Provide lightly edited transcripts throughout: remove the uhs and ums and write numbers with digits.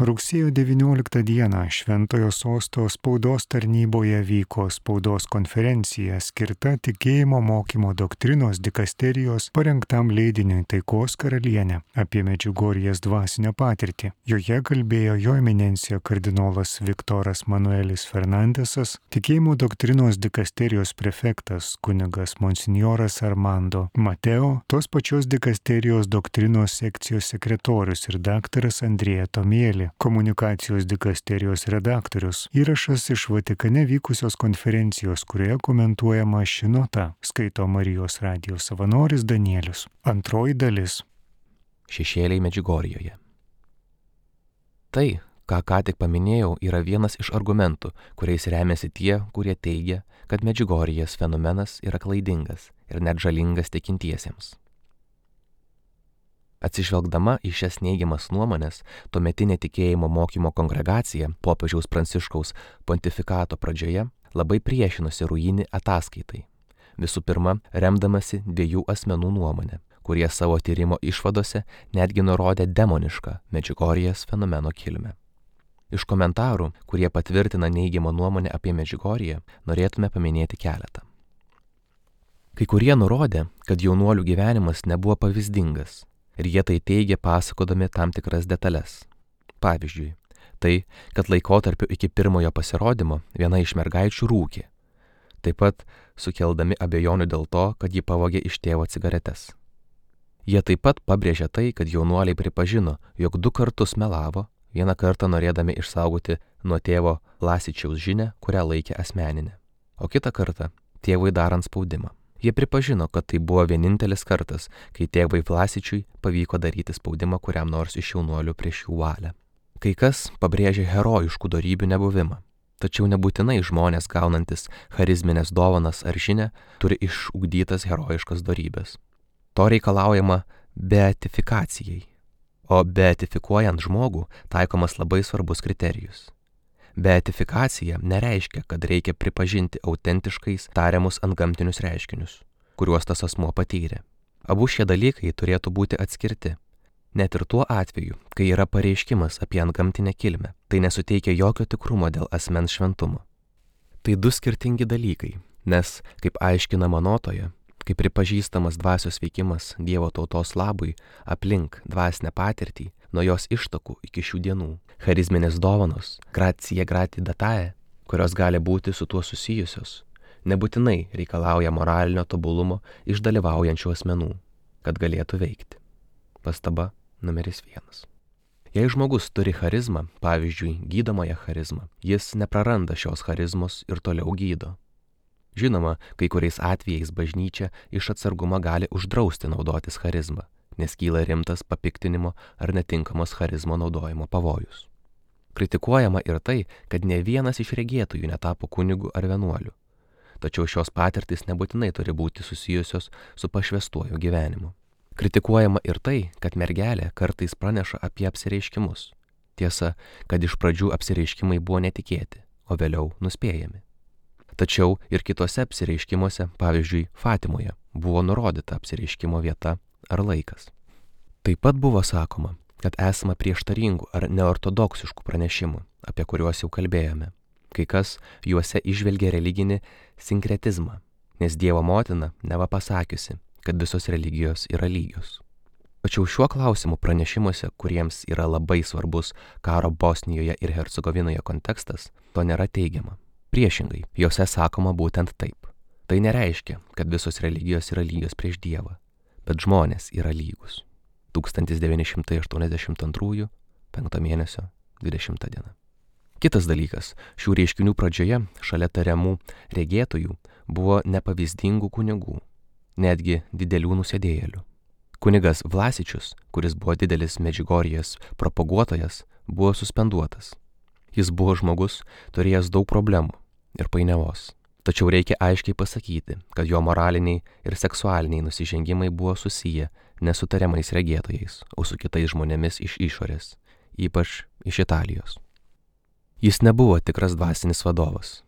Rugsėjo 19 dieną Šventojo Sosto spaudos tarnyboje vyko spaudos konferencija skirta tikėjimo mokymo doktrinos dikasterijos parengtam leidiniui Taikos karalienė apie Medžiugorjės dvasinę patirtį. Joje kalbėjo jo eminencija kardinolas Viktoras Manuelis Fernandesas, tikėjimo doktrinos dikasterijos prefektas kunigas monsinjoras Armando Mateo, tos pačios dikasterijos doktrinos sekcijos sekretorius ir daktaras Andrėja Tomėlė, komunikacijos dikasterijos redaktorius. Įrašas iš Vatikane vykusios konferencijos, kurioje komentuojama ši nota, skaito Marijos radijo savanoris Danielius. Antroji dalis. Šešėliai Medžiugorjėje. Tai, ką tik paminėjau, yra vienas iš argumentų, kuriais remiasi tie, kurie teigia, kad Medžiugorjės fenomenas yra klaidingas ir net žalingas tikintiesiems. Atsižvelgdama į šias neigiamas nuomonės, tuometinė tikėjimo mokymo kongregacija popiežiaus Pranciškaus pontifikato pradžioje labai priešinosi Ruini ataskaitai. Visų pirma, remdamasi dviejų asmenų nuomonę, kurie savo tyrimo išvadose netgi nurodė demonišką Medžiugorjės fenomeno kilmę. Iš komentarų, kurie patvirtina neigiamą nuomonę apie Medžiugorję, norėtume paminėti keletą. Kai kurie nurodė, kad jaunuolių gyvenimas nebuvo pavyzdingas, ir jie tai teigia pasakodami tam tikras detalės. Pavyzdžiui, tai, kad laikotarpiu iki pirmojo pasirodymo viena iš mergaičių rūkė, taip pat sukeldami abejonių dėl to, kad ji pavogė iš tėvo cigaretes. Jie taip pat pabrėžė tai, kad jaunuoliai pripažino, jog 2 kartus melavo, vieną kartą norėdami išsaugoti nuo tėvo Lasičiaus žinią, kurią laikė asmeninę, o kitą kartą tėvui darant spaudimą. Jie pripažino, kad tai buvo vienintelis kartas, kai tėvui Vlasičiui pavyko daryti spaudimą kuriam nors iš jaunuolių prieš jų valią. Kai kas pabrėžė herojiškų dorybių nebuvimą, tačiau nebūtinai žmonės gaunantis charizminės dovanas ar žinią turi išugdytas herojiškas dorybės. To reikalaujama beatifikacijai, o beatifikuojant žmogų taikomas labai svarbus kriterijus. Beatifikacija nereiškia, kad reikia pripažinti autentiškais tariamus antgamtinius reiškinius, kuriuos tas asmuo patyrė. Abu šie dalykai turėtų būti atskirti. Net ir tuo atveju, kai yra pareiškimas apie antgamtinę kilmę, tai nesuteikia jokio tikrumo dėl asmens šventumo. Tai 2 skirtingi dalykai, nes, kaip aiškinama notoje, kai pripažįstamas dvasios veikimas Dievo tautos labui aplink dvasinę patirtį, nuo jos ištakų iki šių dienų, charizminės dovanos, gratia gratidatae, kurios gali būti su tuo susijusios, nebūtinai reikalauja moralinio tobulumo iš dalyvaujančių asmenų, kad galėtų veikti. Pastaba numeris 1. Jei žmogus turi charizmą, pavyzdžiui, gydomąją charizmą, jis nepraranda šios charizmos ir toliau gydo. Žinoma, kai kuriais atvejais bažnyčia iš atsargumo gali uždrausti naudotis charizmą, nes kyla rimtas papiktinimo ar netinkamos charizmo naudojimo pavojus. Kritikuojama ir tai, kad ne vienas iš regėtojų netapo kunigu ar vienuoliu, tačiau šios patirtys nebūtinai turi būti susijusios su pašvęstuoju gyvenimu. Kritikuojama ir tai, kad mergelė kartais praneša apie apsireiškimus. Tiesa, kad iš pradžių apsireiškimai buvo netikėti, o vėliau nuspėjami. Tačiau ir kitose apsireiškimuose, pavyzdžiui, Fatimoje, buvo nurodyta apsireiškimo vieta ar laikas. Taip pat buvo sakoma, kad esama prieštaringų ar neortodoksiškų pranešimų, apie kuriuos jau kalbėjome. Kai kas juose įžvelgia religinį sinkretizmą, nes Dievo motina neva pasakiusi, kad visos religijos yra lygios. Tačiau šiuo klausimu pranešimuose, kuriems yra labai svarbus karo Bosnijoje ir Hercegovinoje kontekstas, to nėra teigiama. Priešingai, jose sakoma būtent taip. Tai nereiškia, kad visos religijos yra lygios prieš Dievą, bet žmonės yra lygus. 1982, 5 mėnesio, 20 diena. Kitas dalykas, šių reiškinių pradžioje, šalia tariamų regėtojų, buvo nepavyzdingų kunigų, netgi didelių nusidėjėlių. Kunigas Vlasičius, kuris buvo didelis Medžiugorjės propaguotojas, buvo suspenduotas. Jis buvo žmogus, turėjęs daug problemų ir painiavos. Tačiau reikia aiškiai pasakyti, kad jo moraliniai ir seksualiniai nusižengimai buvo susiję ne su tariamais regėtojais, o su kitais žmonėmis iš išorės, ypač iš Italijos. Jis nebuvo tikras dvasinis vadovas.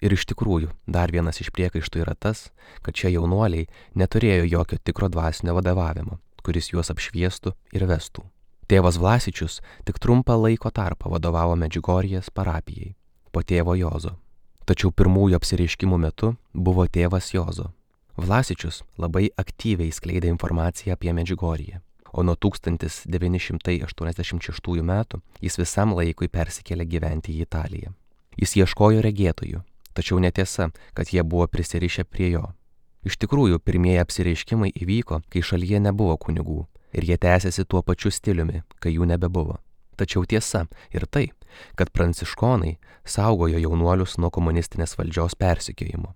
Ir iš tikrųjų, dar vienas iš priekaištų yra tas, kad šie jaunuoliai neturėjo jokio tikro dvasinio vadovavimo, kuris juos apšviestų ir vestų. Tėvas Vlasičius tik trumpą laiko tarpą vadovavo Medžiugorjės parapijai po tėvo Jozo. Tačiau pirmųjų apsireiškimų metu buvo tėvas Jozo. Vlasičius labai aktyviai skleidė informaciją apie Medžiugorję, o nuo 1986 metų jis visam laikui persikėlė gyventi į Italiją. Jis ieškojo regėtojų, tačiau netiesa, kad jie buvo prisirišę prie jo. Iš tikrųjų, pirmieji apsireiškimai įvyko, kai šalyje nebuvo kunigų, ir jie tęsiasi tuo pačiu stiliumi, kai jų nebebuvo. Tačiau tiesa ir tai, kad pranciškonai saugojo jaunuolius nuo komunistinės valdžios persekiojimo.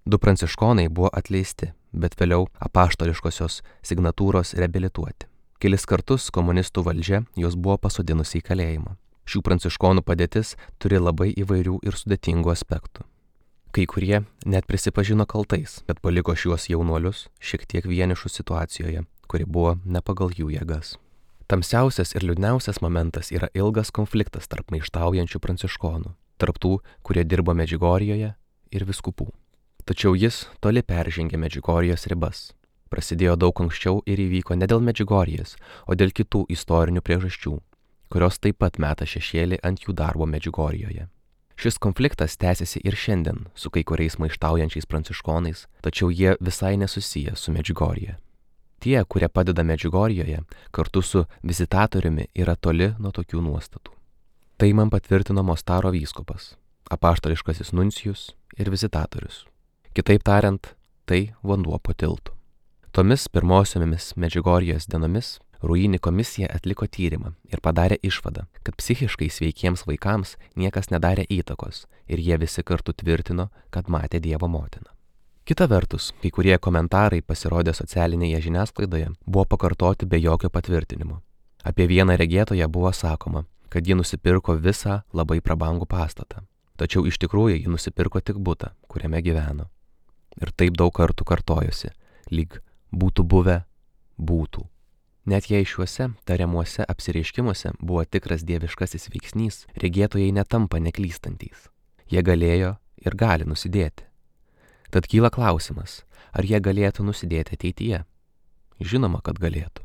2 pranciškonai buvo atleisti, bet vėliau apaštališkosios signatūros reabilituoti. Kelis kartus komunistų valdžia juos buvo pasodinusi į kalėjimą. Šių pranciškonų padėtis turi labai įvairių ir sudėtingų aspektų. Kai kurie net prisipažino kaltais, kad paliko šiuos jaunuolius šiek tiek vienišų situacijoje, kuri buvo ne pagal jų jėgas. Tamsiausias ir liūdniausias momentas yra ilgas konfliktas tarp maištaujančių pranciškonų, tarp tų, kurie dirbo Medžiugorjoje, ir vyskupų. Tačiau jis toli peržengė Medžiugorjės ribas. Prasidėjo daug anksčiau ir įvyko ne dėl Medžiugorjės, o dėl kitų istorinių priežasčių, kurios taip pat meta šešėlį ant jų darbo Medžiugorjoje. Šis konfliktas tęsiasi ir šiandien su kai kuriais maištaujančiais pranciškonais, tačiau jie visai nesusiję su Medžiugorje. Tie, kurie padeda Medžiugorjoje, kartu su vizitatoriumi yra toli nuo tokių nuostatų. Tai man patvirtino Mostaro vyskupas, apaštališkasis nuncijus ir vizitatorius. Kitaip tariant, tai vanduo po tiltu. Tomis pirmosiomis Medžiugorjės dienomis Ruini komisija atliko tyrimą ir padarė išvadą, kad psichiškai sveikiems vaikams niekas nedarė įtakos ir jie visi kartu tvirtino, kad matė Dievo motiną. Kita vertus, kai kurie komentarai pasirodę socialinėje žiniasklaidoje buvo pakartoti be jokio patvirtinimo. Apie vieną regėtoją buvo sakoma, kad ji nusipirko visą labai prabangų pastatą, tačiau iš tikrųjų ji nusipirko tik butą, kuriame gyveno. Ir taip daug kartų kartojosi, lyg būtų buvę, būtų. Net jei šiuose tariamuose apsireiškimuose buvo tikras dieviškasis veiksnys, regėtojai netampa neklystantys. Jie galėjo ir gali nusidėti. Tad kyla klausimas, ar jie galėtų nusidėti ateityje? Žinoma, kad galėtų.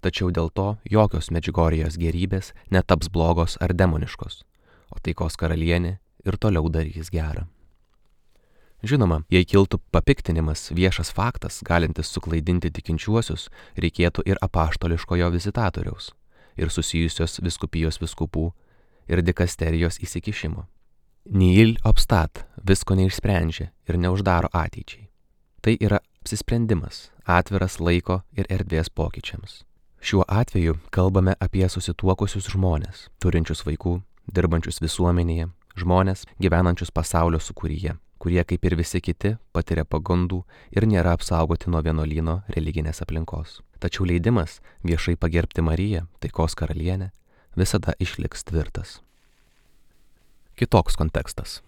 Tačiau dėl to jokios Medžiugorjės gerybės netaps blogos ar demoniškos, o taikos karalienė ir toliau darys gerą. Žinoma, jei kiltų papiktinimas, viešas faktas, galintis suklaidinti tikinčiuosius, reikėtų ir apaštališkojo vizitatoriaus, ir susijusios vyskupijos vyskupų, ir dikasterijos įsikišimo. Nihil obstat visko neišsprendžia ir neuždaro ateičiai. Tai yra apsisprendimas, atviras laiko ir erdvės pokyčiams. Šiuo atveju kalbame apie susituokusius žmonės, turinčius vaikų, dirbančius visuomenėje, žmonės gyvenančius pasaulio sūkuryje, kurie kaip ir visi kiti patiria pagundų ir nėra apsaugoti nuo vienuolyno religinės aplinkos. Tačiau leidimas viešai pagerbti Mariją, taikos karalienę, visada išliks tvirtas. Kitoks kontekstas.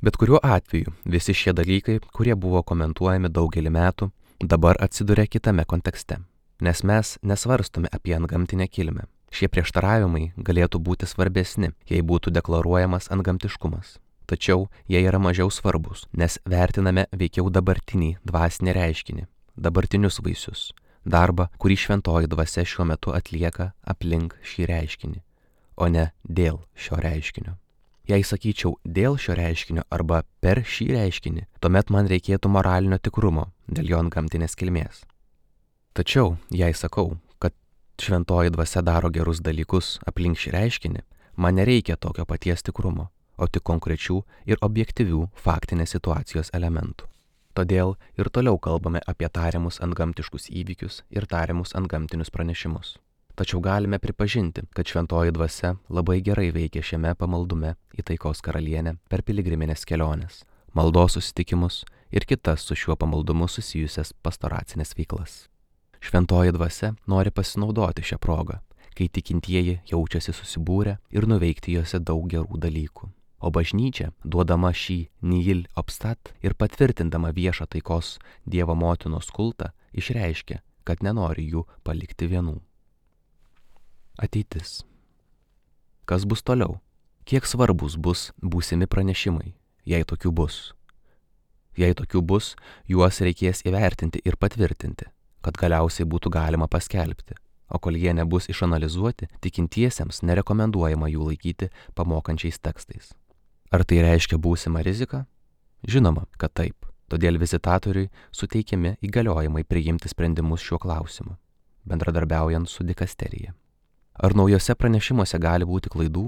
Bet kuriuo atveju visi šie dalykai, kurie buvo komentuojami daugelį metų, dabar atsiduria kitame kontekste, nes mes nesvarstome apie antgamtinę kilmę. Šie prieštaravimai galėtų būti svarbesni, jei būtų deklaruojamas antgamtiškumas. Tačiau jie yra mažiau svarbus, nes vertiname veikiau dabartinį dvasinį reiškinį, dabartinius vaisius, darbą, kurį šventoji dvasia šiuo metu atlieka aplink šį reiškinį, o ne dėl šio reiškinio. Jei sakyčiau dėl šio reiškinio arba per šį reiškinį, tuomet man reikėtų moralinio tikrumo dėl jo antgamtinės kilmės. Tačiau, jei sakau, kad šventoji dvasia daro gerus dalykus aplink šį reiškinį, man nereikia tokio paties tikrumo, o tik konkrečių ir objektyvių faktinės situacijos elementų. Todėl ir toliau kalbame apie tariamus antgamtiškus įvykius ir tariamus antgamtinius pranešimus. Tačiau galime pripažinti, kad šventoji dvasia labai gerai veikia šiame pamaldume į taikos karalienę per piligriminės keliones, maldos susitikimus ir kitas su šiuo pamaldumu susijusias pastoracinės veiklas. Šventoji dvasia nori pasinaudoti šią progą, kai tikintieji jaučiasi susibūrę ir nuveikti juose daug gerų dalykų. O bažnyčia, duodama šį nihil obstat ir patvirtindama viešą taikos Dievo motinos kultą, išreiškia, kad nenori jų palikti vienų. Ateitis. Kas bus toliau? Kiek svarbus bus būsimi pranešimai, jei tokių bus? Jei tokių bus, juos reikės įvertinti ir patvirtinti, kad galiausiai būtų galima paskelbti. o kol jie nebus išanalizuoti, tikintiesiems nerekomenduojama jų laikyti pamokančiais tekstais. Ar tai reiškia būsimą riziką? Žinoma, kad taip. Todėl vizitatoriui suteikiami įgaliojimai priimti sprendimus šiuo klausimu, bendradarbiaujant su dikasterija. Ar naujose pranešimuose gali būti klaidų?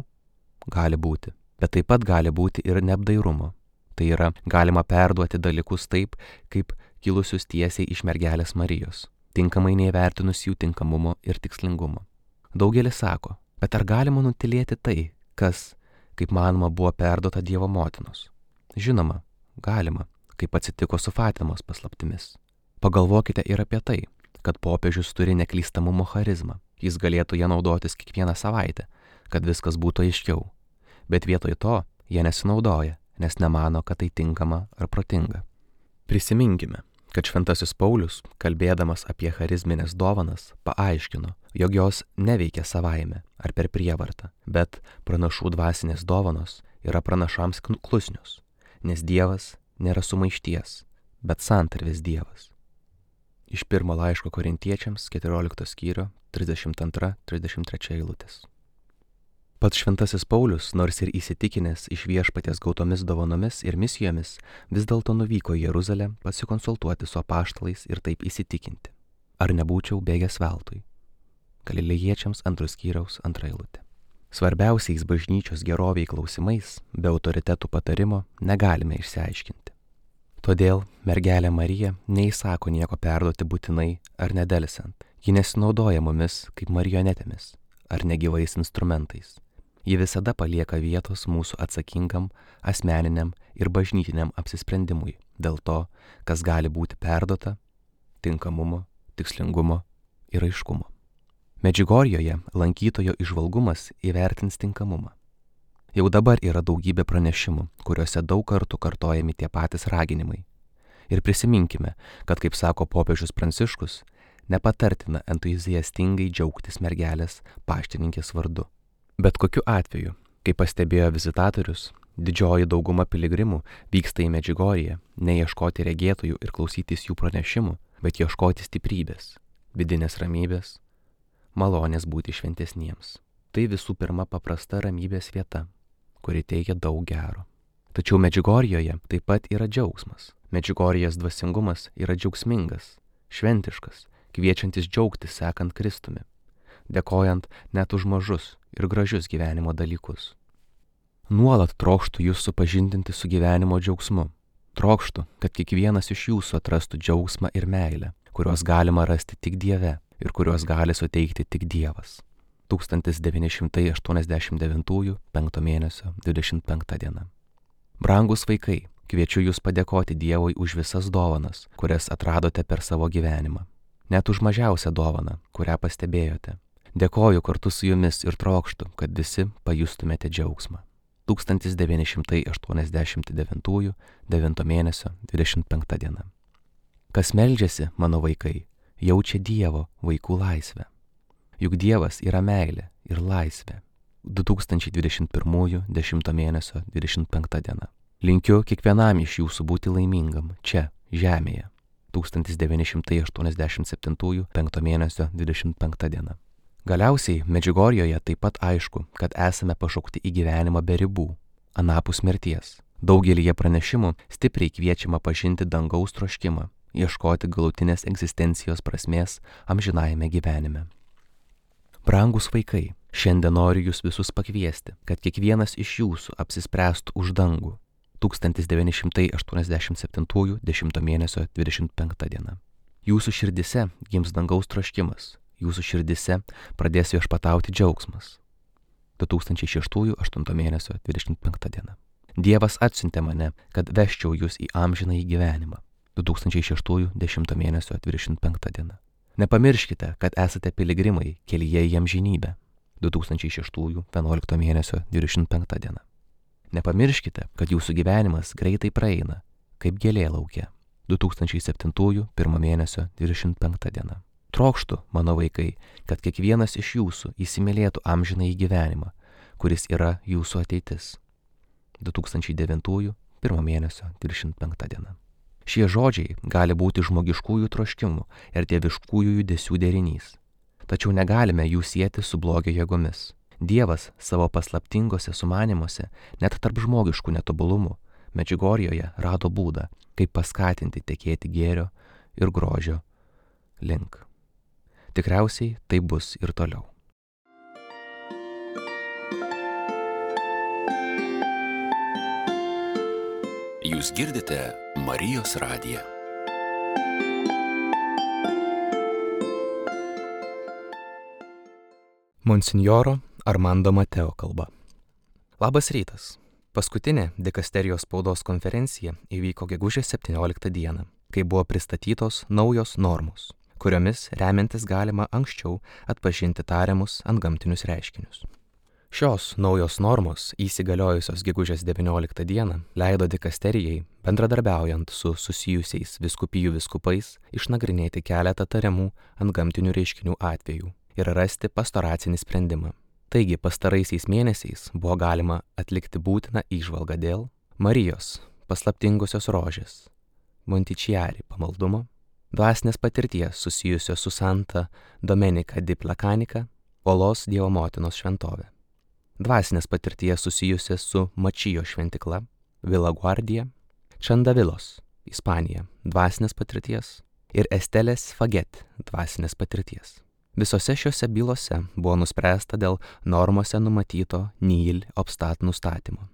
Gali būti, bet taip pat gali būti ir neapdairumo. Tai yra, galima perduoti dalykus taip, kaip kilusius tiesiai iš mergelės Marijos, tinkamai neįvertinus jų tinkamumo ir tikslingumo. Daugelis sako, bet ar galima nutylėti tai, kas, kaip manoma, buvo perduota Dievo motinos? Žinoma, galima, kaip atsitiko su Fatimos paslaptimis. Pagalvokite ir apie tai, kad popiežius turi neklystamumo charizmą. Jis galėtų ją naudotis kiekvieną savaitę, kad viskas būtų aiškiau. Bet vietoj to jie nesinaudoja, nes nemano, kad tai tinkama ar protinga. Prisiminkime, kad šventasis Paulius, kalbėdamas apie charizminės dovanas, paaiškino, jog jos neveikia savaime ar per prievartą, bet pranašų dvasinės dovanos yra pranašams klusnios, nes Dievas nėra sumaišties, bet santarvės Dievas. Iš pirmo laiško Korintiečiams 14 skyrio 32-33 eilutės. Pats šventasis Paulius, nors ir įsitikinęs iš Viešpaties gautomis dovanomis ir misijomis, vis dėlto nuvyko į Jeruzalę pasikonsultuoti su apaštalais ir taip įsitikinti. Ar nebūčiau bėgęs veltui? Galilėjiečiams 2 skyriaus 2 eilutė. Svarbiausiais bažnyčios geroviai klausimais, be autoritetų patarimo, negalime išsiaiškinti. Todėl mergelė Marija neįsako nieko perduoti būtinai ar nedelsiant. Ji nesinaudoja mumis kaip marionetėmis ar negyvais instrumentais. Ji visada palieka vietos mūsų atsakingam, asmeniniam ir bažnytiniam apsisprendimui dėl to, kas gali būti perduota, tinkamumo, tikslingumo ir aiškumo. Medžiugorjoje lankytojo įžvalgumas įvertins tinkamumą. Jau dabar yra daugybė pranešimų, kuriuose daug kartų kartojami tie patys raginimai. Ir prisiminkime, kad, kaip sako popiežius Pranciškus, nepatartina entuziastingai džiaugtis mergelės paštininkės vardu. Bet kokiu atveju, kaip pastebėjo vizitatorius, didžioji dauguma piligrimų vyksta į Medžiugorję ne ieškoti regėtojų ir klausytis jų pranešimų, bet ieškoti stiprybės, vidinės ramybės, malonės būti šventesniems. Tai visų pirma paprasta ramybės vieta, kuri teikia daug gero. Tačiau Medžiugorjoje taip pat yra džiaugsmas. Medžiugorjės dvasingumas yra džiaugsmingas, šventiškas, kviečiantis džiaugtis sekant Kristumi, dėkojant net už mažus ir gražius gyvenimo dalykus. Nuolat trokštu jūs supažindinti su gyvenimo džiaugsmu. Trokštu, kad kiekvienas iš jūsų atrastų džiaugsmą ir meilę, kuriuos galima rasti tik Dieve ir kuriuos gali suteikti tik Dievas. 1989 5 mėnesio 25 diena. Brangus vaikai, kviečiu jūs padėkoti Dievui už visas dovanas, kurias atradote per savo gyvenimą. Net už mažiausią dovaną, kurią pastebėjote. Dėkoju kartu su jumis ir trokštu, kad visi pajustumėte džiaugsmą. 1989 9 mėnesio 25 diena. Kas meldžiasi, mano vaikai, jaučia Dievo vaikų laisvę. Juk Dievas yra meilė ir laisvė. 2021 10 mėnesio 25 diena. Linkiu kiekvienam iš jūsų būti laimingam čia, žemėje. 1987 5 mėnesio 25 diena. Galiausiai Medžiugorjoje taip pat aišku, kad esame pašaukti į gyvenimą be ribų, anapus mirties. Daugelyje pranešimų stipriai kviečiama pažinti dangaus troškimą, ieškoti galutinės egzistencijos prasmės amžinajame gyvenime. Brangus vaikai, šiandien noriu jūs visus pakviesti, kad kiekvienas iš jūsų apsispręstų už dangų. 1987 10 mėnesio 25 diena. Jūsų širdise gims dangaus troškimas, jūsų širdise pradės viešpatauti džiaugsmas. 2006 8 mėnesio 25 diena. Dievas atsiuntė mane, kad veščiau jūs į amžinąjį gyvenimą. 2006 10 mėnesio 25 diena. Nepamirškite, kad esate piligrimai kelyje į amžinybę. 2006 11 mėnesio 25 diena. Nepamirškite, kad jūsų gyvenimas greitai praeina, kaip gėlė lauke. 2007 1 mėnesio 25 diena. Trokštu, mano vaikai, kad kiekvienas iš jūsų įsimylėtų amžinąjį gyvenimą, kuris yra jūsų ateitis. 2009 1 mėnesio 25 diena. Šie žodžiai gali būti žmogiškųjų troškimų ir dieviškųjų judesių derinys. tačiau negalime jų sieti su blogio jėgomis. Dievas savo paslaptingose sumanymuose, net tarp žmogiškų netobulumų, Medžiugorjėje rado būdą, kaip paskatinti tekėti gėrio ir grožio link. Tikriausiai tai bus ir toliau. Jūs girdite Marijos radiją. Monsinjoro Armando Mateo kalba. Labas rytas. Paskutinė dikasterijos spaudos konferencija įvyko gegužės 17 dieną, kai buvo pristatytos naujos normos, kuriomis remiantis galima anksčiau atpažinti tariamus antgamtinius reiškinius. Šios naujos normos, įsigaliojusios gegužės 19 dieną, leido dikasterijai, bendradarbiaujant su susijusiais vyskupijų vyskupais, išnagrinėti keletą tariamų antgamtinių reiškinių atvejų ir rasti pastoracinį sprendimą. Taigi pastaraisiais mėnesiais buvo galima atlikti būtiną įžvalgą dėl Marijos paslaptingosios rožės, Montichiari pamaldumo, dvasinės patirties susijusios su Santa Domenica di Placanica, Olos Dievo motinos šventovė, dvasinės patirties susijusios su Mačijo šventikla, Vila Guardia, Čandavilos, Ispanija, dvasinės patirties ir Estelės Faget, dvasinės patirties. Visose šiuose bylose buvo nuspręsta dėl normose numatyto nihil obstat nustatymo.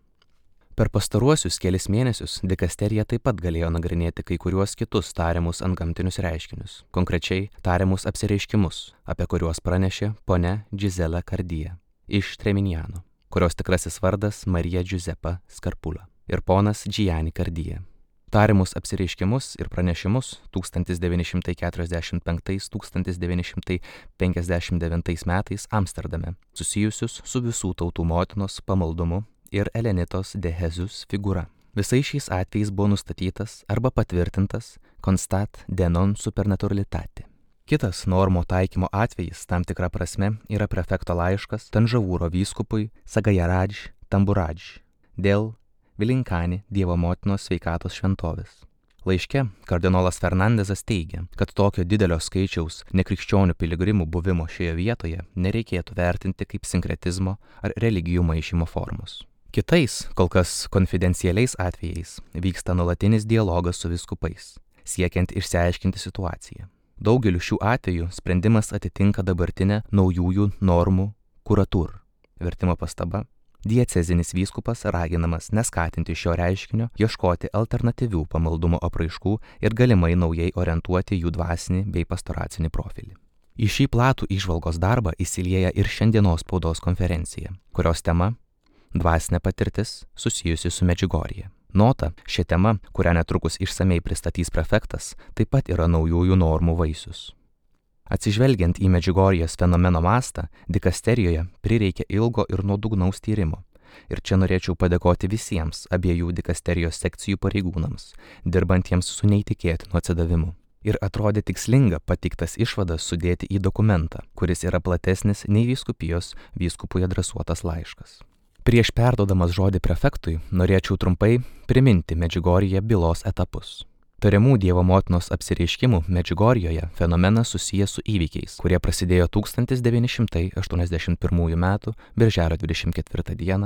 Per pastaruosius kelis mėnesius dikasterija taip pat galėjo nagrinėti kai kuriuos kitus tariamus antgamtinius reiškinius, konkrečiai tariamus apsireiškimus, apie kuriuos pranešė ponia Gisela Cardija iš Treminjano, kurios tikrasis vardas Marija Giuseppa Scarpula, ir ponas Gianni Cardija. Tariamus apsireiškimus ir pranešimus 1945–1959 metais Amsterdame, susijusius su visų tautų motinos pamaldumu ir Elenitos de Jesus figūra. Visais šiais atvejais buvo nustatytas arba patvirtintas constat de non supernaturalitate. Kitas normų taikymo atvejis tam tikra prasme yra prefekto laiškas Tanžavūro vyskupui Sagajaradž Tamburadž dėl Vilinkani Dievo motinos sveikatos šventovės. Laiške kardinolas Fernandezas teigia, kad tokio didelio skaičiaus nekrikščionių piligrimų buvimo šioje vietoje nereikėtų vertinti kaip sinkretizmo ar religijų maišymo formos. Kitais, kol kas konfidencialiais atvejais, vyksta nuolatinis dialogas su vyskupais, siekiant išsiaiškinti situaciją. Daugeliu šių atvejų sprendimas atitinka dabartinę naujųjų normų kuratur. Vertimo pastaba. Diecezinis vyskupas raginamas neskatinti šio reiškinio, ieškoti alternatyvių pamaldumo apraiškų ir galimai naujai orientuoti jų dvasinį bei pastoracinį profilį. Į šį platų įžvalgos darbą įsilieja ir šiandienos spaudos konferencija, kurios tema – dvasinė patirtis susijusi su Medžiugorje. Nota, šią temą, kurią netrukus išsamei pristatys prefektas, taip pat yra naujųjų normų vaisius. Atsižvelgiant į Medžiugorjės fenomeno mastą, dikasterijoje prireikė ilgo ir nuodugnaus tyrimo. Ir čia norėčiau padėkoti visiems abiejų dikasterijos sekcijų pareigūnams, dirbantiems su neįtikėtinu atsidavimu. Ir atrodė tikslinga pateiktas išvadas sudėti į dokumentą, kuris yra platesnis nei vyskupijos vyskupui adresuotas laiškas. Prieš perduodamas žodį prefektui, norėčiau trumpai priminti Medžiugorjėje bylos etapus. Tariamų Dievo motinos apsireiškimų Medžiugorjėje fenomenas susijęs su įvykiais, kurie prasidėjo 1981 m. birželio 24 d.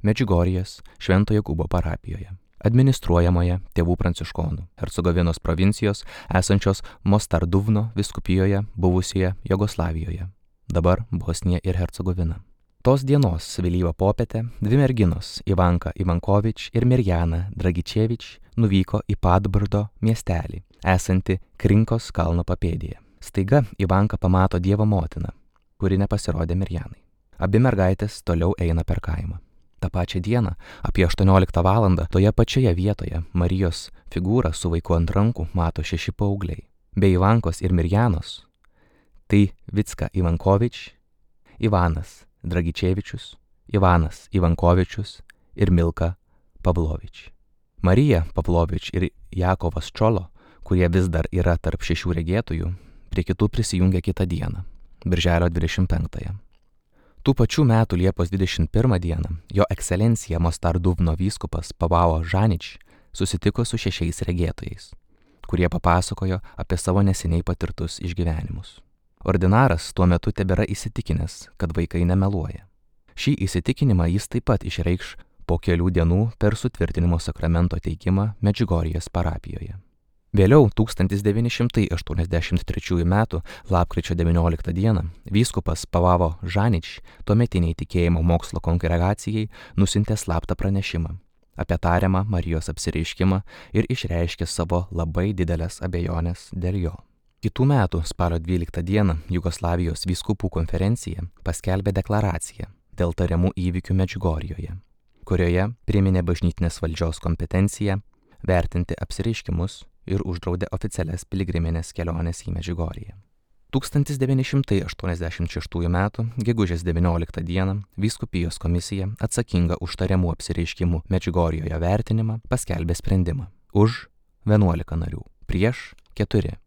Medžiugorjės Švento Jokūbo parapijoje, administruojamoje tėvų pranciškonų, Hercegovinos provincijos esančios Mostarduvno vyskupijoje buvusioje Jugoslavijoje, dabar Bosnija ir Hercegovina. Tos dienos vėlyvą popietę dvi merginos Ivanka Ivankovič ir Mirjana Dragičevič nuvyko į Padbrdo miestelį, esantį Krinkos kalno papėdėje. Staiga Ivanka pamato Dievo motiną, kuri nepasirodė Mirjanai. Abi mergaitės toliau eina per kaimą. Ta pačią dieną, apie 18 valandą, toje pačioje vietoje Marijos figūrą su vaiku ant rankų mato 6 paaugliai. Be Ivankos ir Mirjanos, tai Vicka Ivankovič, Ivanas Dragičevičius, Ivanas Ivankovičius ir Milka Pavlovič. Marija Pavlovič ir Jakovas Čolo, kurie vis dar yra tarp 6 regėtojų, prie kitų prisijungė kitą dieną, birželio 25. Tų pačių metų Liepos 21 dieną jo ekscelencija Mostarduvno vyskupas Pavao Žanič susitiko su 6 regėtojais, kurie papasakojo apie savo neseniai patirtus išgyvenimus. Ordinaras tuo metu tebėra įsitikinęs, kad vaikai nemeluoja. Šį įsitikinimą jis taip pat išreikš po kelių dienų per sutvirtinimo sakramento teikimą Medžiugorjės parapijoje. Vėliau 1983 m. lapkričio 19 d. vyskupas Pavavo Žanič tuometiniai tikėjimo mokslo kongregacijai nusiuntė slaptą pranešimą apie tariamą Marijos apsireiškimą ir išreiškė savo labai didelės abejonės dėl jo. Kitų metų spalio 12 d. Jugoslavijos vyskupų konferencija paskelbė deklaraciją dėl tariamų įvykių Medžiugorjoje, kurioje priminė bažnytinės valdžios kompetenciją vertinti apsireiškimus ir uždraudė oficialias piligriminės keliones į Medžiugorję. 1986 m. gegužės 19 d. vyskupijos komisija atsakinga už tariamų apsireiškimų Medžiugorjoje vertinimą paskelbė sprendimą už 11 narių, prieš 4.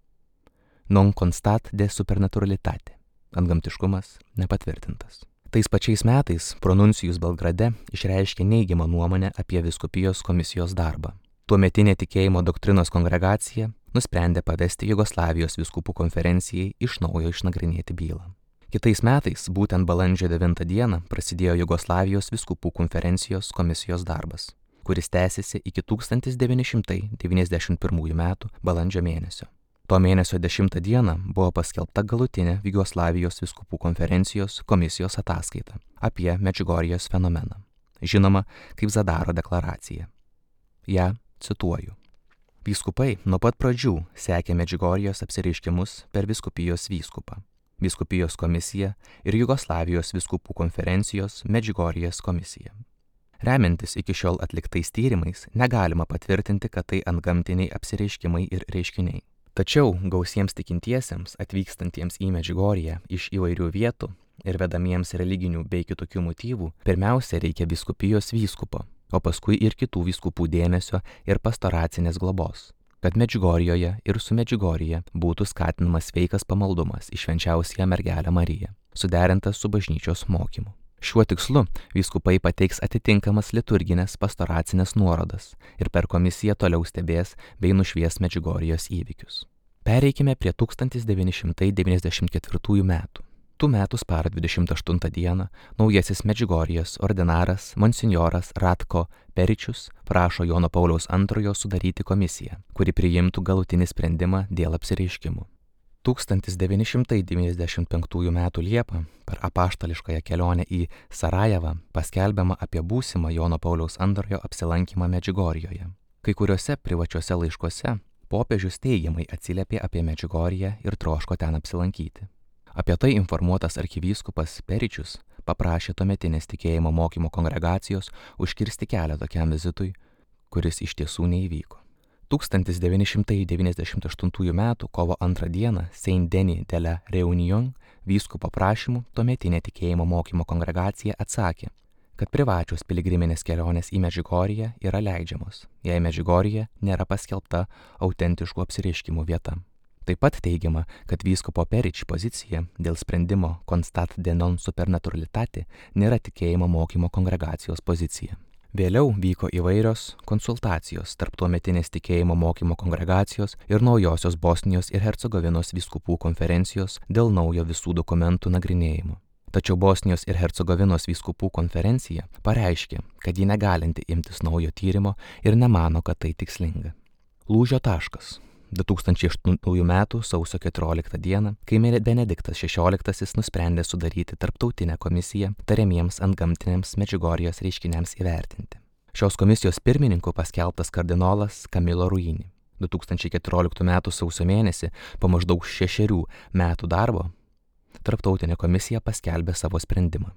Non constat de supernaturalitate. Antgamtiškumas nepatvirtintas. Tais pačiais metais pronuncijus Belgrade išreiškė neigiamą nuomonę apie vyskupijos komisijos darbą. Tuometinė tikėjimo doktrinos kongregacija nusprendė pavesti Jugoslavijos vyskupų konferencijai iš naujo išnagrinėti bylą. Kitais metais, būtent balandžio 9 d. prasidėjo Jugoslavijos vyskupų konferencijos komisijos darbas, kuris tęsiasi iki 1991 m. balandžio mėnesio. To mėnesio 10 d. buvo paskelbta galutinė Jugoslavijos vyskupų konferencijos komisijos ataskaita apie Medžiugorjės fenomeną, žinoma kaip Zadaro deklaracija. Ja cituoju. Vyskupai nuo pat pradžių sekė Medžiugorjės apsireiškimus per vyskupijos vyskupą, vyskupijos komisiją ir Jugoslavijos vyskupų konferencijos Medžiugorjės komisiją. Remiantis iki šiol atliktais tyrimais, negalima patvirtinti, kad tai antgamtiniai apsireiškimai ir reiškiniai. Tačiau gausiems tikintiesiems atvykstantiems į Medžiugorję iš įvairių vietų ir vedamiems religinių bei kitokių motyvų, pirmiausia reikia vyskupijos vyskupo, o paskui ir kitų vyskupų dėmesio ir pastoracinės globos, kad Medžiugorjoje ir su Medžiugorje būtų skatinamas sveikas pamaldumas į švenčiausiąją mergelę Mariją, suderintas su bažnyčios mokymu. Šiuo tikslu vyskupai pateiks atitinkamas liturginės pastoracinės nuorodas ir per komisiją toliau stebės bei nušvies Medžiugorjės įvykius. Pereikime prie 1994 metų. Tų metų spalio 28 d. naujasis Medžiugorjės ordinaras monsinjoras Ratko Peričius prašo Jono Pauliaus II sudaryti komisiją, kuri priimtų galutinį sprendimą dėl apsireiškimų. 1995 m. Liepą per apaštališkąją kelionę į Sarajevą paskelbiama apie būsimą Jono Pauliaus II apsilankymą Medžiugorjoje. Kai kuriuose privačiuose laiškuose popiežius teigiamai atsiliepė apie Medžiugorję ir troško ten apsilankyti. Apie tai informuotas arkivyskupas Peričius paprašė tuometinės tikėjimo mokymo kongregacijos užkirsti kelią tokiam vizitui, kuris iš tiesų neįvyko. 1998 m. kovo 2 d. Saint Denis de la Réunion vyskupo prašymu tuometinė tikėjimo mokymo kongregacija atsakė, kad privačios piligriminės kelionės į Medžiugorję yra leidžiamos, jei Medžiugorjė nėra paskelbta autentiškų apsireiškimų vieta. Taip pat teigiama, kad vyskupo Perič pozicija dėl sprendimo constat de non supernaturalitate nėra tikėjimo mokymo kongregacijos pozicija. Vėliau vyko įvairios konsultacijos tarp tuometinės tikėjimo mokymo kongregacijos ir naujosios Bosnijos ir Hercegovinos vyskupų konferencijos dėl naujo visų dokumentų nagrinėjimo. Tačiau Bosnijos ir Hercegovinos vyskupų konferencija pareiškė, kad ji negalinti imtis naujo tyrimo ir nemano, kad tai tikslinga. Lūžio taškas. 2008 m. sausio 14 d., kai Benediktas XVI nusprendė sudaryti tarptautinę komisiją tariamiems antgamtiniams Medžiugorjės reiškiniams įvertinti. Šios komisijos pirmininku paskelbtas kardinolas Camillo Ruini. 2014 m. sausio mėnesį, po maždaug 6 metų darbo, tarptautinė komisija paskelbė savo sprendimą.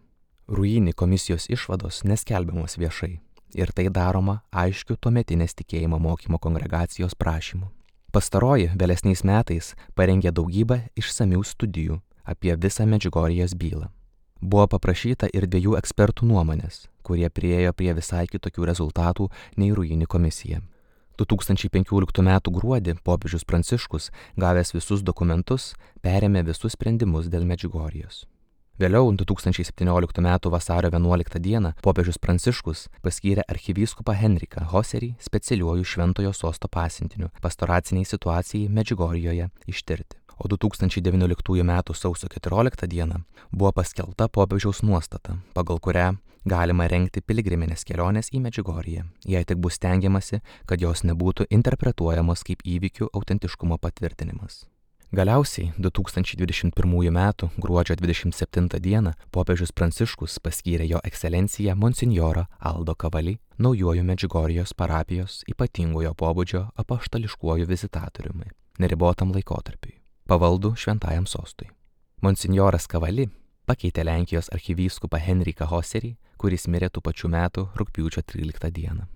Ruini komisijos išvados neskelbiamos viešai ir tai daroma aiškiu tuometinės tikėjimo mokymo kongregacijos prašymu. Pastaroji vėlesniais metais parengė daugybę išsamių studijų apie visą Medžiugorjės bylą. Buvo paprašyta ir 2 ekspertų nuomonės, kurie priėjo prie visai kitokių rezultatų nei Ruini komisija. 2015 m. gruodį popiežius Pranciškus, gavęs visus dokumentus, perėmė visus sprendimus dėl Medžiugorjės. Vėliau 2017 m. vasario 11 d. popiežius Pranciškus paskyrė arkivyskupą Henriką Hoserį specialiuoju Šventojo Sosto pasiuntiniu pastoraciniai situacijai Medžiugorjoje ištirti, o 2019 m. sausio 14 d. buvo paskelbta popiežiaus nuostata, pagal kurią galima rengti piligriminės kelionės į Medžiugorję, jei tik bus stengiamasi, kad jos nebūtų interpretuojamos kaip įvykių autentiškumo patvirtinimas. Galiausiai 2021 m. gruodžio 27 d. popiežius Pranciškus paskyrė jo ekscelenciją monsinjorą Aldo Cavalli naujuoju Medžiugorijos parapijos ypatingojo pobūdžio apaštališkuoju vizitatoriumi neribotam laikotarpiui, pavaldų šventajam sostui. Monsinjoras Cavalli pakeitė Lenkijos arkivyskupą Henriką Hoserį, kuris mirė tų pačių metų rugpjūčio 13 d.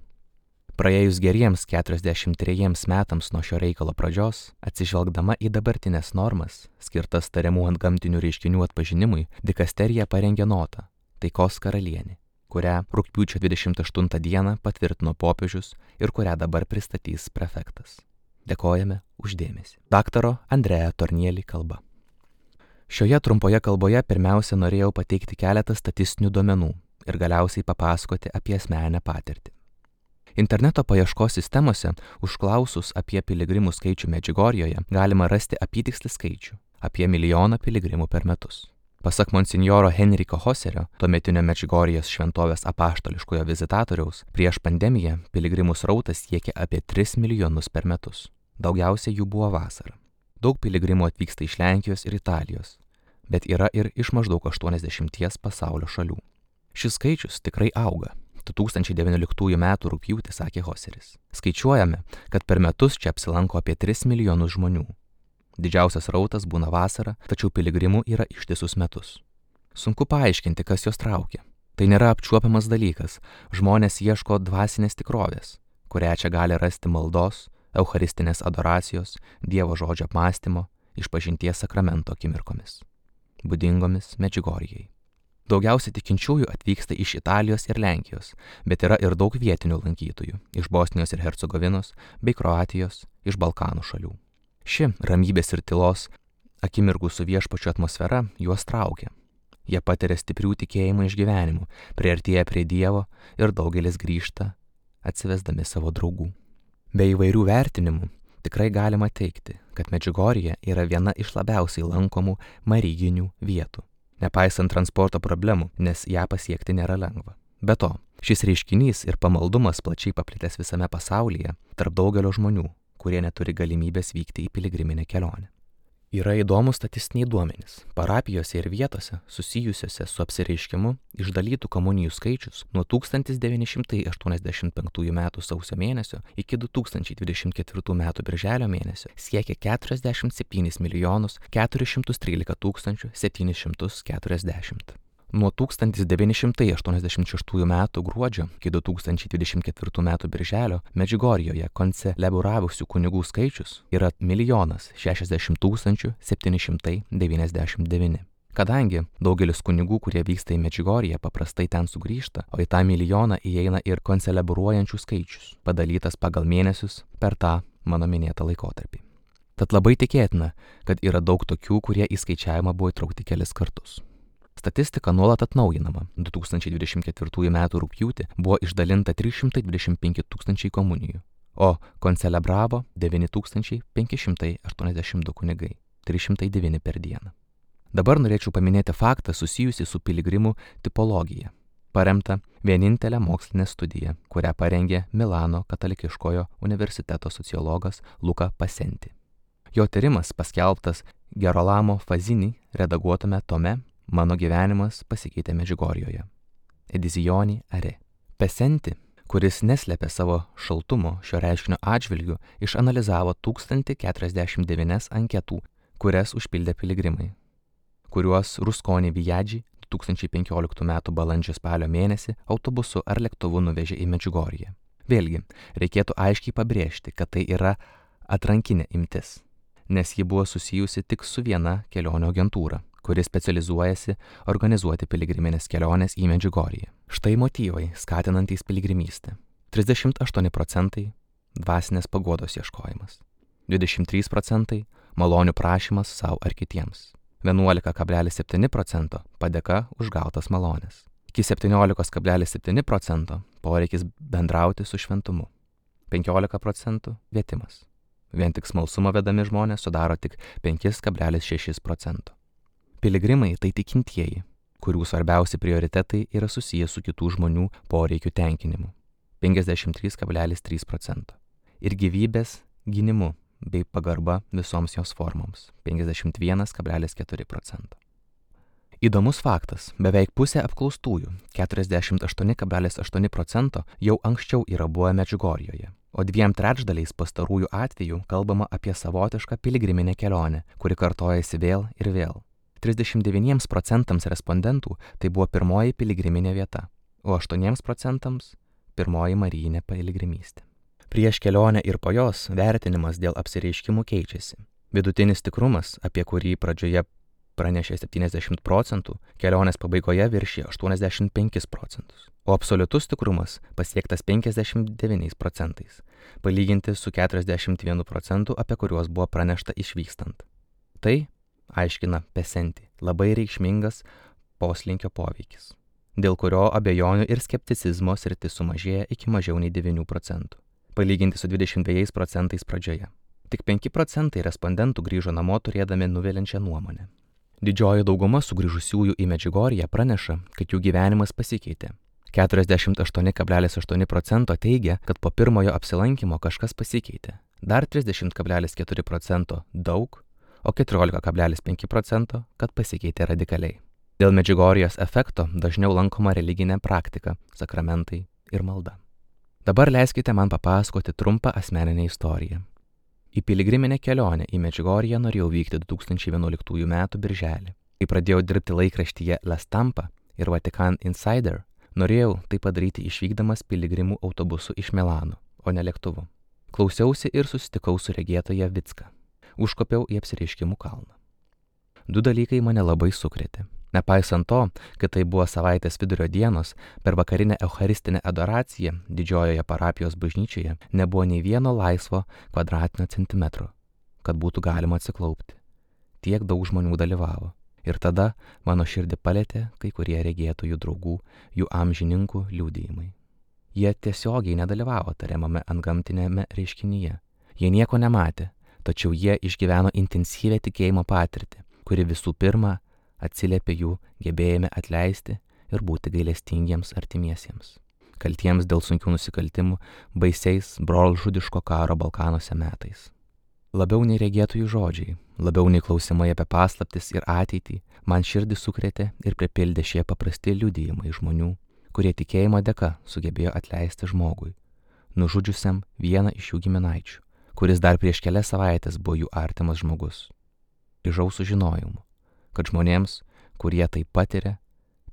Praėjus geriems 43 metams nuo šio reikalo pradžios, atsižvelgdama į dabartinės normas, skirtas tariamų antgamtinių reiškinių atpažinimui, dikasterija parengė notą Taikos karalienė, kurią rugpjūčio 28 d. patvirtino popiežius ir kurią dabar pristatys prefektas. Dėkojame už dėmesį. Daktaro Andrea Tornielli kalba. Šioje trumpoje kalboje pirmiausia norėjau pateikti keletą statistinių duomenų ir galiausiai papasakoti apie asmeninę patirtį. Interneto paieškos sistemose užklausus apie piligrimų skaičių Medžiugorjoje galima rasti apytikslį skaičių – apie 1 milijoną piligrimų per metus. Pasak monsinjoro Henriko Hoserio, tuometinio Medžiugorjės šventovės apaštališkojo vizitatoriaus, prieš pandemiją piligrimų srautas siekė apie 3 milijonus per metus. Daugiausia jų buvo vasarą. Daug piligrimų atvyksta iš Lenkijos ir Italijos, bet yra ir iš maždaug 80 pasaulio šalių. Šis skaičius tikrai auga. 2019 m. rugpjūtį sakė Hoseris. Skaičiuojame, kad per metus čia apsilanko apie 3 milijonus žmonių. Didžiausias srautas būna vasarą, tačiau piligrimų yra ištisus metus. Sunku paaiškinti, kas juos traukia. Tai nėra apčiuopiamas dalykas. Žmonės ieško dvasinės tikrovės, kurią čia gali rasti maldos, eucharistinės adoracijos, Dievo žodžio apmąstymo, išpažinties sakramento akimirkomis, būdingomis Medžiugorjei. Daugiausiai tikinčiųjų atvyksta iš Italijos ir Lenkijos, bet yra ir daug vietinių lankytojų iš Bosnijos ir Hercegovinos bei Kroatijos, iš Balkanų šalių. Ši ramybės ir tylos akimirkų su viešpačiu atmosfera juos traukia. Jie patiria stiprių tikėjimo išgyvenimų, priartėja prie Dievo ir daugelis grįžta, atsivesdami savo draugų. Be įvairių vertinimų tikrai galima teigti, kad Medžiugorjė yra viena iš labiausiai lankomų maryginių vietų, nepaisant transporto problemų, nes ją pasiekti nėra lengva. Be to, šis reiškinys ir pamaldumas plačiai paplitęs visame pasaulyje tarp daugelio žmonių, kurie neturi galimybės vykti į piligriminę kelionę. Yra įdomus statistiniai duomenys. Parapijose ir vietose susijusiose su apsireiškimu išdalytų komunijų skaičius nuo 1985 m. sausio mėnesio iki 2024 m. birželio mėnesio siekia 47 413 740. Nuo 1986 m. gruodžio iki 2024 m. birželio Medžiugorjoje konceleburavusių kunigų skaičius yra 1 060 799. Kadangi daugelis kunigų, kurie vyksta į Medžiugorję, paprastai ten sugrįžta, o į tą milijoną įeina ir konceleburuojančių skaičius, padalytas pagal mėnesius per tą mano minėtą laikotarpį. Tad labai tikėtina, kad yra daug tokių, kurie į skaičiavimą buvo įtraukti kelis kartus. Statistika nuolat atnaujinama. 2024 m. rugpjūtį buvo išdalinta 325 000 komunijų, o koncelebravo 9582 kunigai, 309 per dieną. Dabar norėčiau paminėti faktą susijusį su piligrimų tipologija, paremta vienintelė mokslinė studija, kurią parengė Milano katalikiškojo universiteto sociologas Luca Pasenti. Jo tyrimas paskelbtas Gerolamo Fazini redaguotame tome Mano gyvenimas pasikeitė Medžiugorjoje. Edizioni Are. Pasenti, kuris neslėpė savo šaltumo šio reiškinio atžvilgiu, išanalizavo 1049 anketų, kurias užpildė piligrimai, kuriuos Rusconi Viaggi 2015 m. balandžio-spalio mėnesį autobusu ar lėktuvu nuvežė į Medžiugorję. Vėlgi, reikėtų aiškiai pabrėžti, kad tai yra atrankinė imtis, nes ji buvo susijusi tik su viena kelionių agentūra, kuri specializuojasi organizuoti piligriminės kelionės į Medžiugorję. Štai motyvai skatinantys piligrimystę. 38% dvasinės paguodos ieškojimas, 23% malonių prašymas savo ar kitiems, 11,7% padėka už gautas malones, iki 17,7% poreikis bendrauti su šventumu, 15% kvietimas, Vien tik smalsumo vedami žmonės sudaro tik 5,6%. Piligrimai tai tikintieji, kurių svarbiausi prioritetai yra susijęs su kitų žmonių poreikių tenkinimu 53,3% ir gyvybės gynimu bei pagarba visoms jos formoms 51,4%. Įdomus faktas, beveik pusė apklaustųjų 48,8% jau anksčiau yra buvę Medžiugorjėje, o 2/3 pastarųjų atvejų kalbama apie savotišką piligriminę kelionę, kuri kartojasi vėl ir vėl. 39% respondentų tai buvo pirmoji piligriminė vieta, o 8% pirmoji marijinė piligrimystė. Prieš kelionę ir po jos vertinimas dėl apsireiškimų keičiasi. Vidutinis tikrumas, apie kurį pradžioje pranešė 70%, kelionės pabaigoje viršė 85%, o absoliutus tikrumas pasiektas 59%, palyginti su 41%, apie kuriuos buvo pranešta išvykstant. Tai, aiškina Pesenti, labai reikšmingas poslinkio poveikis, dėl kurio abejonių ir skepticizmo sritis sumažėja iki mažiau nei 9%, palyginti su 22% pradžioje. Tik 5% respondentų grįžo namo turėdami nuviliančią nuomonę. Didžioji dauguma sugrįžusiųjų į Medžiugorję praneša, kad jų gyvenimas pasikeitė. 48,8% teigia, kad po pirmojo apsilankymo kažkas pasikeitė. Dar 30,4% daug, o 14,5% kad pasikeitė radikaliai. Dėl Medžiugorjės efekto dažniau lankoma religinė praktika, sakramentai ir malda. Dabar leiskite man papasakoti trumpą asmeninę istoriją. Į piligriminę kelionę į Medžiugorję norėjau vykti 2011 m. birželį. Kai pradėjau dirbti laikraštyje La Stampa ir Vatican Insider, norėjau tai padaryti išvykdamas piligrimų autobusu iš Milano, o ne lėktuvu. Klausiausi ir susitikau su regėtoja Vicka. Užkopiau į apsireiškimų kalną. Du dalykai mane labai sukrėtė. Nepaisant to, kad tai buvo savaitės vidurio dienos, per vakarinę eucharistinę adoraciją didžiojoje parapijos bažnyčioje nebuvo nei vieno laisvo kvadratinio centimetro, kad būtų galima atsiklaupti. Tiek daug žmonių dalyvavo. Ir tada mano širdį palėtė kai kurie regėtojų draugų, jų amžininkų liudijimai. Jie tiesiogiai nedalyvavo tariamame antgamtinėme reiškinyje. Jie nieko nematė, tačiau jie išgyveno intensyvią tikėjimo patirtį, kuri visų pirma atsiliepė jų gebėjime atleisti ir būti gailestingiems artimiesiems, kaltiems dėl sunkių nusikaltimų baisiais brolžudiško karo Balkanuose metais. Labiau nei regėtojų žodžiai, labiau nei klausimai apie paslaptis ir ateitį, man širdį sukrėtė ir pripildė šie paprasti liudijimai žmonių, kurie tikėjimo dėka sugebėjo atleisti žmogui, nužudžiusiam vieną iš jų giminaičių, kuris dar prieš kelias savaitės buvo jų artimas žmogus. Grįžau su žinojimu, kad žmonėms, kurie tai patiria,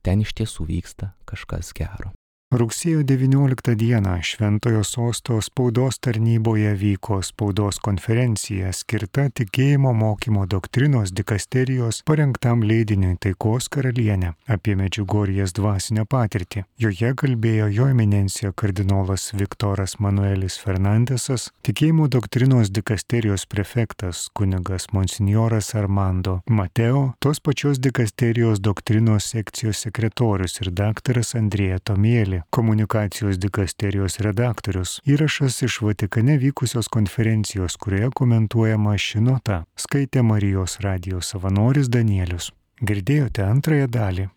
ten iš tiesų vyksta kažkas gero. Rugsėjo 19 dieną Šventojo Sosto spaudos tarnyboje vyko spaudos konferencija skirta tikėjimo mokymo doktrinos dikasterijos parengtam leidiniui Taikos karalienė apie Medžiugorjės dvasinę patirtį. Joje kalbėjo jo eminencija kardinolas Viktoras Manuelis Fernandesas, tikėjimo doktrinos dikasterijos prefektas kunigas monsinjoras Armando Mateo, tos pačios dikasterijos doktrinos sekcijos sekretorius ir daktaras Andrėja Tomieli, komunikacijos dikasterijos redaktorius. Įrašas iš Vatikane vykusios konferencijos, kurioje komentuojama ši nota, skaitė Marijos radijo savanoris Danielius. Girdėjote antrąją dalį.